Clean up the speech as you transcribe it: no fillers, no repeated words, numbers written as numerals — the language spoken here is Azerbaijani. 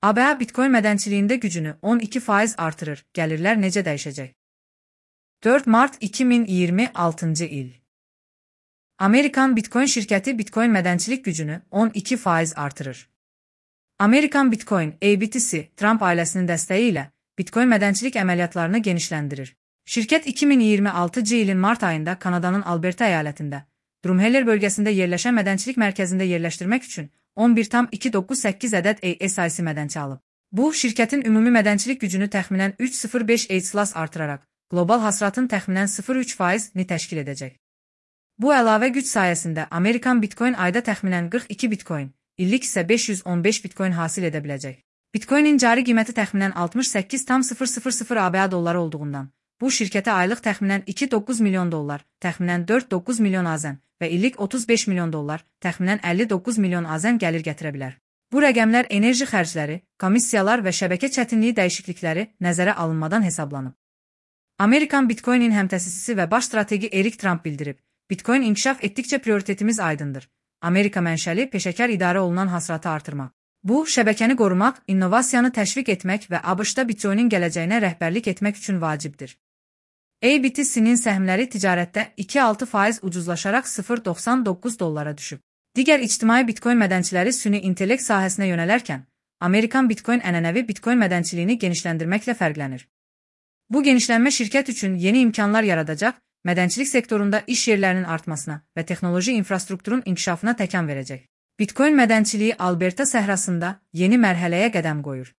ABA Bitcoin mədənçiliyində gücünü 12% artırır. Gəlirlər necə dəyişəcək? 4 Mart 2026 il. Amerikan Bitcoin şirkəti Bitcoin mədənçilik gücünü 12% artırır. Amerikan Bitcoin (ABTC) Trump ailəsinin dəstəyi ilə Bitcoin mədənçilik əməliyyatlarını genişləndirir. Şirkət 2026 ilin mart ayında Kanadanın Alberta əyalətində Drumheller bölgəsində yerləşən mədənçilik mərkəzində yerləşdirmək üçün 11,298 ədəd ASIC mədənçi alıb. Bu, şirkətin ümumi mədənçilik gücünü təxminən 3,05 ETH artıraraq, qlobal hasılatın təxminən 0,3%-ni təşkil edəcək. Bu əlavə güc sayəsində Amerikan Bitcoin ayda təxminən 42 Bitcoin, illik isə 515 Bitcoin hasil edə biləcək. Bitcoinin cari qiyməti təxminən 68,000 ABA dolları olduğundan, bu şirkətə aylıq təxminən 2,9 milyon dollar, təxminən 4,9 milyon AZN və illik 35 milyon dollar, təxminən 59 milyon AZN gəlir gətirə bilər. Bu rəqəmlər enerji xərcləri, komissiyalar və şəbəkə çətinliyi dəyişiklikləri nəzərə alınmadan hesablanıb. Amerikan Bitcoinin həmtəsisisi və baş strategi Erik Trump bildirib, Bitcoin inkişaf etdikcə prioritetimiz aydındır. Amerika mənşəli peşəkar idarə olunan hasılatı artırmaq. Bu, şəbəkəni qorumaq, innovasiyanı təşviq etmək və ABŞ-da Bitcoinin gələcəyinə rəhbərlik etmək üçün vacibdir. ABTC-nin səhmləri ticarətdə 2,6% ucuzlaşaraq 0,99 dollara düşüb. Digər ictimai Bitcoin mədənçiləri süni intellekt sahəsinə yönələrkən, Amerikan Bitcoin ənənəvi Bitcoin mədənçiliyini genişləndirməklə fərqlənir. Bu genişlənmə şirkət üçün yeni imkanlar yaradacaq, mədənçilik sektorunda iş yerlərinin artmasına və texnoloji infrastrukturun inkişafına təkan verəcək. Bitcoin mədənçiliyi Alberta səhrasında yeni mərhələyə qədəm qoyur.